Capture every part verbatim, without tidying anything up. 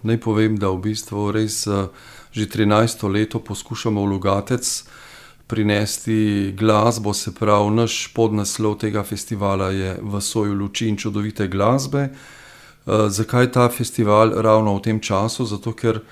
Naj povem, da v bistvu res že trinajsto leto poskušamo v Logatec prinesti glasbo, se pravi, naš podnaslov tega festivala je V soju luči in čudovite glasbe. Zakaj ta festival ravno v tem času? Zato, ker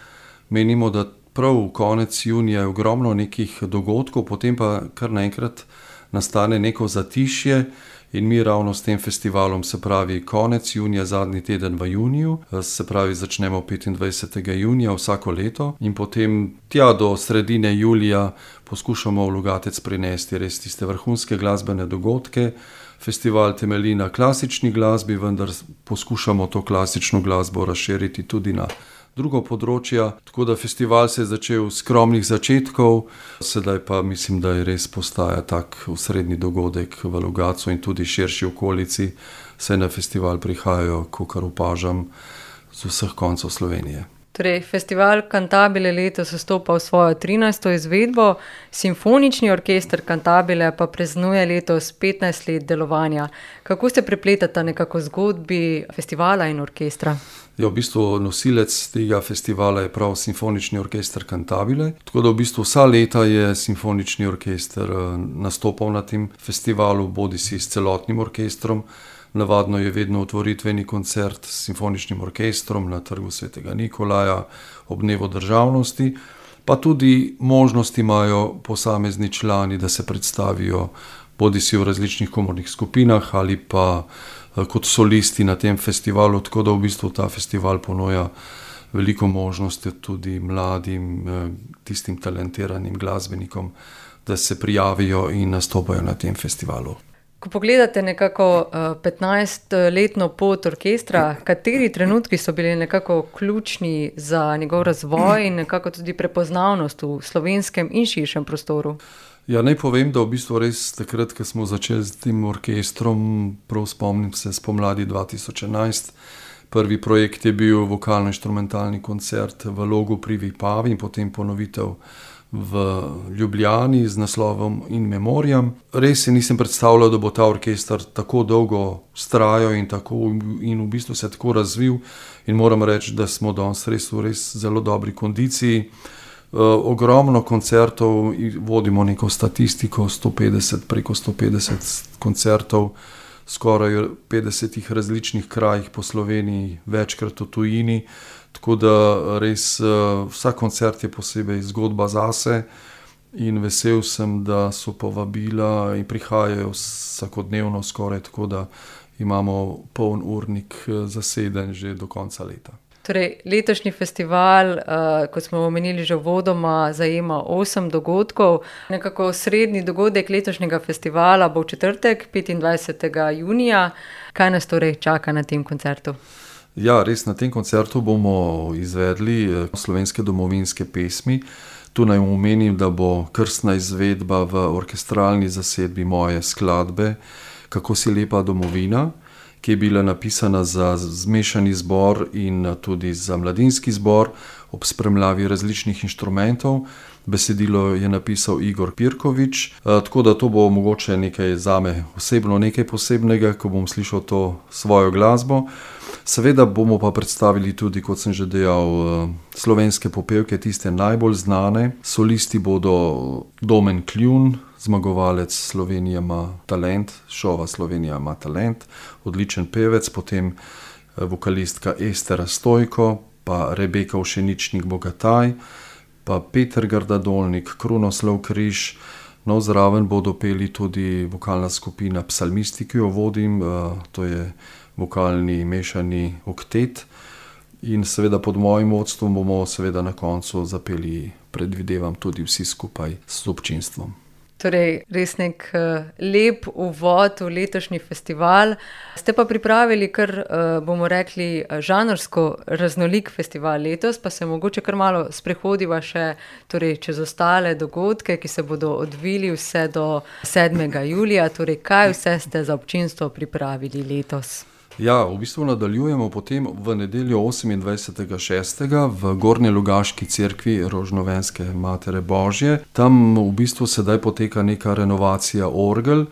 menimo, da prav konec junija je ogromno nekih dogodkov, potem pa kar naenkrat nastane neko zatišje in mi ravno s tem festivalom, se pravi konec junija, zadnji teden v juniju, se pravi začnemo petindvajsetega junija vsako leto in potem tja do sredine julija poskušamo v Logatec prinesti res tiste vrhunske glasbene dogodke. Festival temelji na klasični glasbi, vendar poskušamo to klasično glasbo razširiti tudi na drugo področja, tako da festival se je začel s skromnih začetkov, sedaj pa mislim, da je res postaja tak osrednji dogodek v Logatcu in tudi širši okolici, saj na festival prihajajo, kakor opažam, z vseh koncev Slovenije. Torej, festival Cantabile letos vstopa v svojo trinajsto izvedbo, Simfonični orkester Cantabile pa praznuje letos petnajst let delovanja. Kako se prepletata nekako zgodbi festivala in orkestra? Ja, v bistvu nosilec tega festivala je prav Simfonični orkester Cantabile, tako da v bistvu vsa leta je Simfonični orkester nastopal na tem festivalu, bodisi s celotnim orkestrom. Navadno je vedno otvoritveni koncert s simfoničnim orkestrom na Trgu svetega Nikolaja ob dnevu državnosti, pa tudi možnost imajo posamezni člani, da se predstavijo bodisi v različnih komornih skupinah ali pa kot solisti na tem festivalu, tako da v bistvu ta festival ponuja veliko možnosti tudi mladim, tistim talentiranim glasbenikom, da se prijavijo in nastopajo na tem festivalu. Ko pogledate nekako petnajstletno pot orkestra, kateri trenutki so bili nekako ključni za njegov razvoj in nekako tudi prepoznavnost v slovenskem in širšem prostoru? Ja, naj povem, da v bistvu res takrat, ko smo začeli s tem orkestrom, prav spomnim se spomladi dva tisoč enajst, prvi projekt je bil vokalno-inštrumentalni koncert v Logu pri Vipavi in potem ponovitev v Ljubljani z naslovom In Memoriam. Res si nisem predstavljal, da bo ta orkester tako dolgo vztrajal in, tako, in v bistvu se tako razvil in moram reči, da smo danes res v res zelo dobri kondiciji. Uh, ogromno koncertov, vodimo neko statistiko, sto petdeset, preko sto petdeset koncertov, skoraj petdesetih različnih krajih po Sloveniji, večkrat v tujini, tako da res uh, vsak koncert je posebej zgodba zase in vesel sem, da so povabila in prihajajo vsakodnevno skoraj, tako da imamo poln urnik zaseden že do konca leta. Torej, letošnji festival, uh, kot smo omenili že uvodoma, zajema osem dogodkov. Nekako srednji dogodek letošnjega festivala bo v četrtek, petindvajsetega junija. Kaj nas torej čaka na tem koncertu? Ja, res na tem koncertu bomo izvedli slovenske domovinske pesmi. Tu naj omenim, da bo krstna izvedba v orkestralni zasedbi moje skladbe Kako si lepa domovina, ki je bila napisana za zmešani zbor in tudi za mladinski zbor ob spremljavi različnih inštrumentov. Besedilo je napisal Igor Pirkovič, tako da to bo mogoče nekaj zame osebno, nekaj posebnega, ko bom slišal to svojo glasbo. Seveda bomo pa predstavili tudi, kot sem že dejal, slovenske popevke, tiste najbolj znane. Solisti bodo Domen Kljun, zmagovalec Slovenija ima talent, šova Slovenija ima talent, odličen pevec, potem vokalistka Ester Stojko, pa Rebeka Ušeničnik Bogataj, pa Peter Gardadolnik, Krunoslav Križ. No, zraven bodo peli tudi vokalna skupina Psalmisti, ki jo vodim, to je vokalni mešani oktet. In seveda pod mojim vodstvom bomo seveda na koncu zapeli, predvidevam, tudi vsi skupaj s občinstvom. Torej, res nek uh, lep uvod v letošnji festival. Ste pa pripravili kar, uh, bomo rekli, žanrsko raznolik festival letos, pa se mogoče kar malo sprehodiva še torej, čez ostale dogodke, ki se bodo odvili vse do sedmega julija. Torej, kaj vse ste za občinstvo pripravili letos? Ja, v bistvu nadaljujemo potem v nedeljo osemindvajsetega šestega v Gornjelogaški cerkvi Rožnovenske Matere Božje. Tam v bistvu sedaj poteka neka renovacija orgel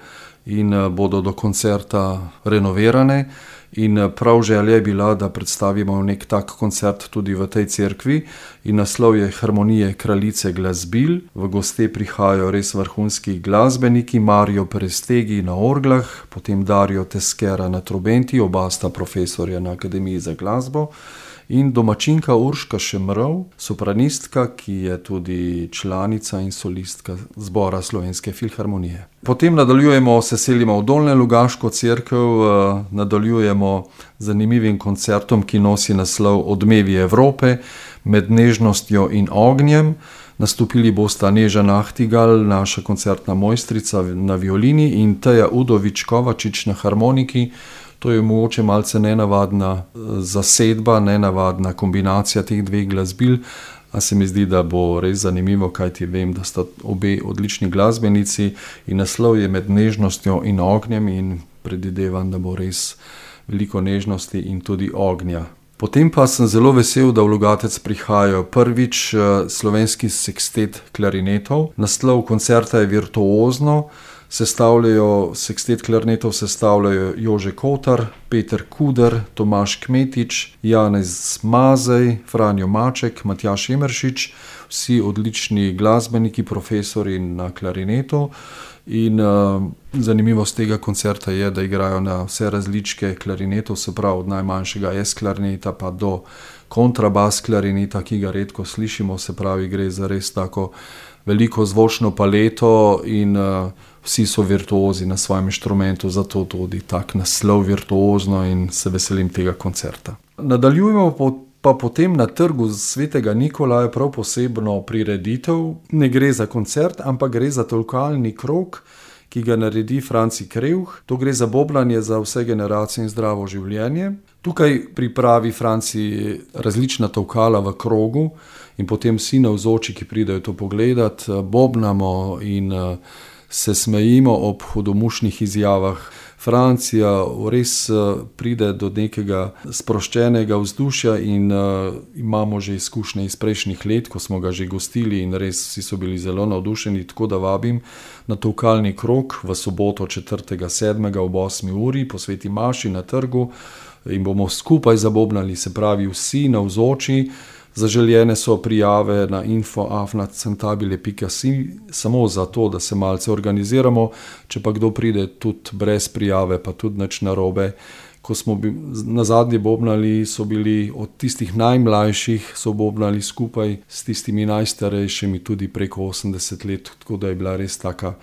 in bodo do koncerta renovirane In prav želja je bila, da predstavimo nek tak koncert tudi v tej cerkvi. In naslov je Harmonije kraljice glasbil. V goste prihajajo res vrhunski glasbeniki, Mario Perestegi na orglah, potem Dario Teskera na trobenti, oba sta profesorja na Akademiji za glasbo. In domačinka Urška Šemrov, sopranistka, ki je tudi članica in solistka zbora Slovenske filharmonije. Potem nadaljujemo, se selimo v Dolnjo Logaško cerkev, nadaljujemo z zanimivim koncertom, ki nosi naslov Odmevi Evrope med nežnostjo in ognjem. Nastopili bosta Neža Nahtigal, naša koncertna mojstrica na violini, in Teja Udovič Kovačič na harmoniki. To je mogoče malce nenavadna zasedba, nenavadna kombinacija teh dveh glasbil, a se mi zdi, da bo res zanimivo, kajti vem, da sta obe odlični glasbenici in naslov je Med nežnostjo in ognjem in predvidevam, da bo res veliko nežnosti in tudi ognja. Potem pa sem zelo vesel, da v Logatec prihajajo prvič slovenski sekstet klarinetov. Naslov koncerta je Virtuozno. Sestavljajo, sekstet klarinetov sestavljajo Jože Kotar, Peter Kuder, Tomaž Kmetič, Janez Mazej, Franjo Maček, Matjaž Emeršič, vsi odlični glasbeniki, profesori na klarinetu. In uh, zanimivost tega koncerta je, da igrajo na vse različke klarinetov, se pravi od najmanjšega S klarineta pa do kontrabas klarineta, ki ga redko slišimo, se pravi gre za res tako veliko zvočno paleto in uh, vsi so virtuozi na svojem inštrumentu, zato tudi tak naslov Virtuozno in se veselim tega koncerta. Nadaljujemo po, pa potem na trgu Svetega Nikolaja prav posebno prireditev. Ne gre za koncert, ampak gre za tolkalni krog, ki ga naredi Franci Krevh. To gre za bobnanje za vse generacije in zdravo življenje. Tukaj pripravi Franci različna tolkala v krogu in potem vsi navzoči, ki pridejo to pogledat, bobnamo in se smejimo ob hudomušnih izjavah. Francija res pride do nekega sproščenega vzdušja in uh, imamo že izkušnje iz prejšnjih let, ko smo ga že gostili in res vsi so bili zelo navdušeni, tako da vabim na tolkalni krog v soboto četrtega sedmega ob osmi uri po Sveti maši na trgu in bomo skupaj zabobnali, se pravi vsi navzoči. Zaželjene so prijave na info afna cantabile pika si, samo zato, da se malce organiziramo, če pa kdo pride tudi brez prijave, pa tudi nič narobe. Ko smo na zadnje bobnali, so bili od tistih najmlajših, so bobnali skupaj s tistimi najstarejšimi tudi preko osemdeset let, tako da je bila res taka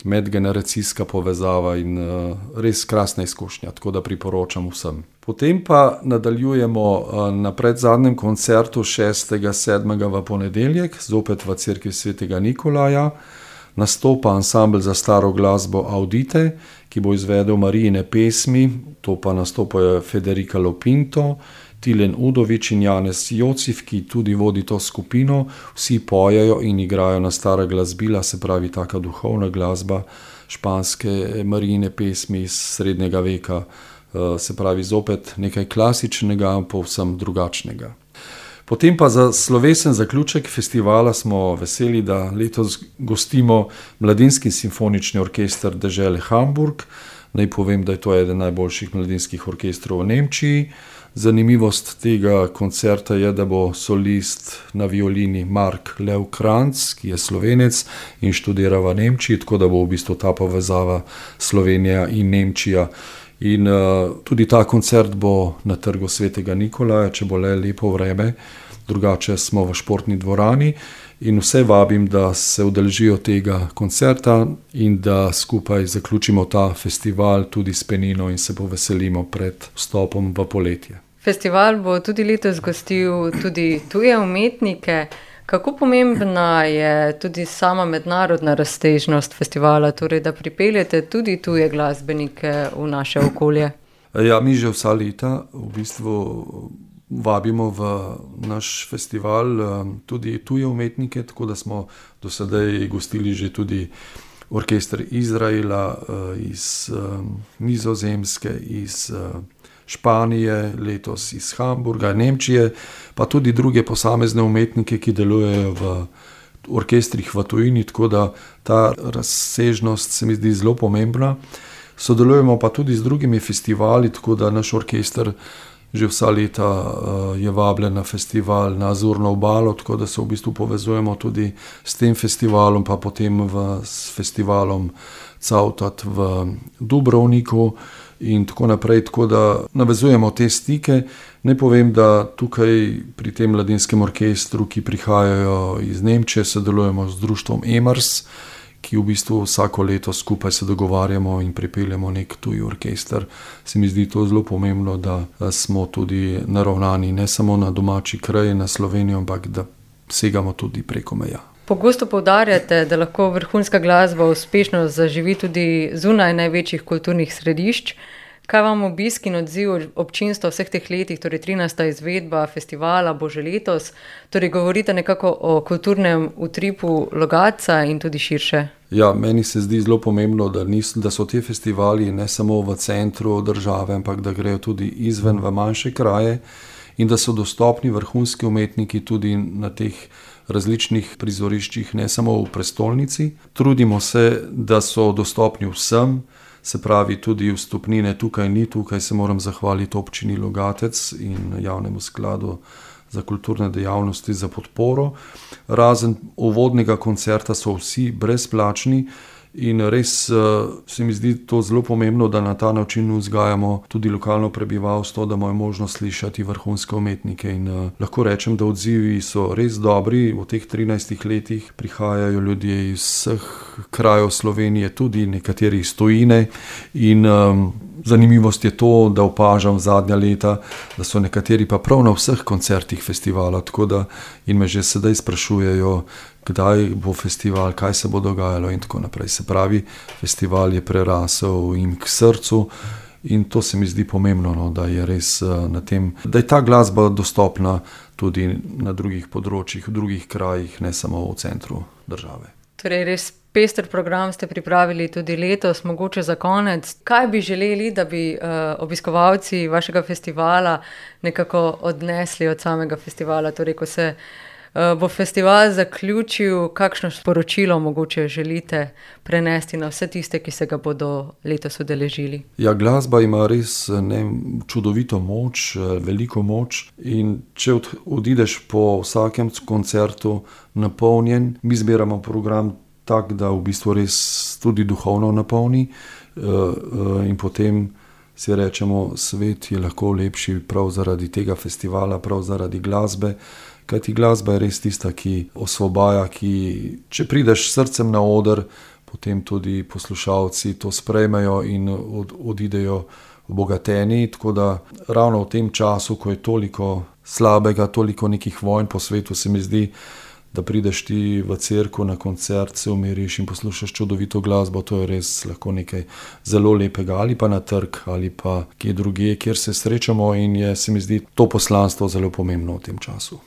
medgeneracijska povezava in uh, res krasna izkušnja, tako da priporočam vsem. Potem pa nadaljujemo uh, na predzadnjem koncertu šestega sedmega v ponedeljek, zopet v cerkvi Svetega Nikolaja. Nastopa ansambel za staro glasbo Audite, ki bo izvedel Marijine pesmi, to pa nastopajo Federica Lopinto, Tilen Udovič in Janez Jocif, ki tudi vodi to skupino. Vsi pojejo in igrajo na stara glasbila, se pravi taka duhovna glasba, španske Marijine pesmi iz srednjega veka, se pravi zopet nekaj klasičnega, povsem drugačnega. Potem pa za slovesen zaključek festivala smo veseli, da letos gostimo Mladinski simfonični orkester dežele Hamburg. Naj povem, da je to eden najboljših mladinskih orkestrov v Nemčiji. Zanimivost tega koncerta je, da bo solist na violini Mark Lev Kranz, ki je Slovenec in študira v Nemčiji, tako da bo v bistvu ta povezava Slovenija in Nemčija. In uh, tudi ta koncert bo na trgu Svetega Nikolaja, če bo le lepo vreme, drugače smo v športni dvorani in vse vabim, da se udeležijo tega koncerta in da skupaj zaključimo ta festival tudi s penino in se poveselimo pred vstopom v poletje. Festival bo tudi letos gostil tudi tuje umetnike. Kako pomembna je tudi sama mednarodna razsežnost festivala, torej da pripeljete tudi tuje glasbenike v naše okolje? Ja, mi že vsa leta v bistvu vabimo v naš festival tudi tuje umetnike, tako da smo do sedaj gostili že tudi orkester Izraela, iz Nizozemske, iz Španije, letos iz Hamburga, Nemčije, pa tudi druge posamezne umetnike, ki delujejo v orkestrih v tujini, tako da ta razsežnost se mi zdi zelo pomembna. Sodelujemo pa tudi z drugimi festivali, tako da naš orkester že vsa leta je vabljen na festival na Azurno obalo, tako da se v bistvu povezujemo tudi s tem festivalom, pa potem v, s festivalom Cavtat v Dubrovniku in tako naprej, tako da navezujemo te stike. Naj povem, da tukaj pri tem mladinskem orkestru, ki prihajajo iz Nemčije, sodelujemo z društvom Emers, ki v bistvu vsako leto skupaj se dogovarjamo in pripeljemo nek tuj orkester. Se mi zdi to zelo pomembno, da smo tudi naravnani ne samo na domači kraj, na Slovenijo, ampak da segamo tudi preko meja. Pogosto poudarjate, da lahko vrhunska glasba uspešno zaživi tudi zunaj največjih kulturnih središč. Kaj vam obisk in odziv občinstva vseh teh letih, torej trinajsta izvedba festivala bo že letos, torej govorite nekako o kulturnem utripu Logatca in tudi širše? Ja, meni se zdi zelo pomembno, da, nis, da so ti festivali ne samo v centru države, ampak da grejo tudi izven v manjše kraje in da so dostopni vrhunski umetniki tudi na teh različnih prizoriščih, ne samo v prestolnici. Trudimo se, da so dostopni vsem, se pravi tudi vstopnine tukaj ni, tukaj se moram zahvaliti občini Logatec in javnemu skladu za kulturne dejavnosti za podporo. Razen uvodnega koncerta so vsi brezplačni in res se mi zdi to zelo pomembno, da na ta način vzgajamo tudi lokalno prebivalstvo, da imajo možnost slišati vrhunske umetnike in uh, lahko rečem, da odzivi so res dobri. V teh trinajstih letih prihajajo ljudje iz vseh krajev Slovenije, tudi nekateri iz tujine in um, zanimivost je to, da opažam zadnja leta, da so nekateri pa prav na vseh koncertih festivala, tako da in me že sedaj sprašujejo, kdaj bo festival, kaj se bo dogajalo in tako naprej. Se pravi, festival je prerasel jim k srcu in to se mi zdi pomembno, no, da je res na tem, da je ta glasba dostopna tudi na drugih področjih, v drugih krajih, ne samo v centru države. Torej res pester program ste pripravili tudi letos, mogoče za konec. Kaj bi želeli, da bi uh, obiskovalci vašega festivala nekako odnesli od samega festivala, torej ko se bo festival zaključil, kakšno sporočilo mogoče želite prenesti na vse tiste, ki se ga bodo letos udeležili? Ja, glasba ima res ne, čudovito moč, veliko moč in če od, odideš po vsakem koncertu napolnjen, mi zbiramo program tak, da v bistvu res tudi duhovno napolni in potem si rečemo, svet je lahko lepši prav zaradi tega festivala, prav zaradi glasbe. Kajti glasba je res tista, ki osvobaja, ki, če prideš s srcem na oder, potem tudi poslušalci to sprejmejo in od, odidejo obogateni. Tako da ravno v tem času, ko je toliko slabega, toliko nekih vojn po svetu, se mi zdi, da prideš ti v cerkev na koncert, se umiriš in poslušaš čudovito glasbo, to je res lahko nekaj zelo lepega, ali pa na trg, ali pa kje drugje, kjer se srečamo in je, se mi zdi, to poslanstvo zelo pomembno v tem času.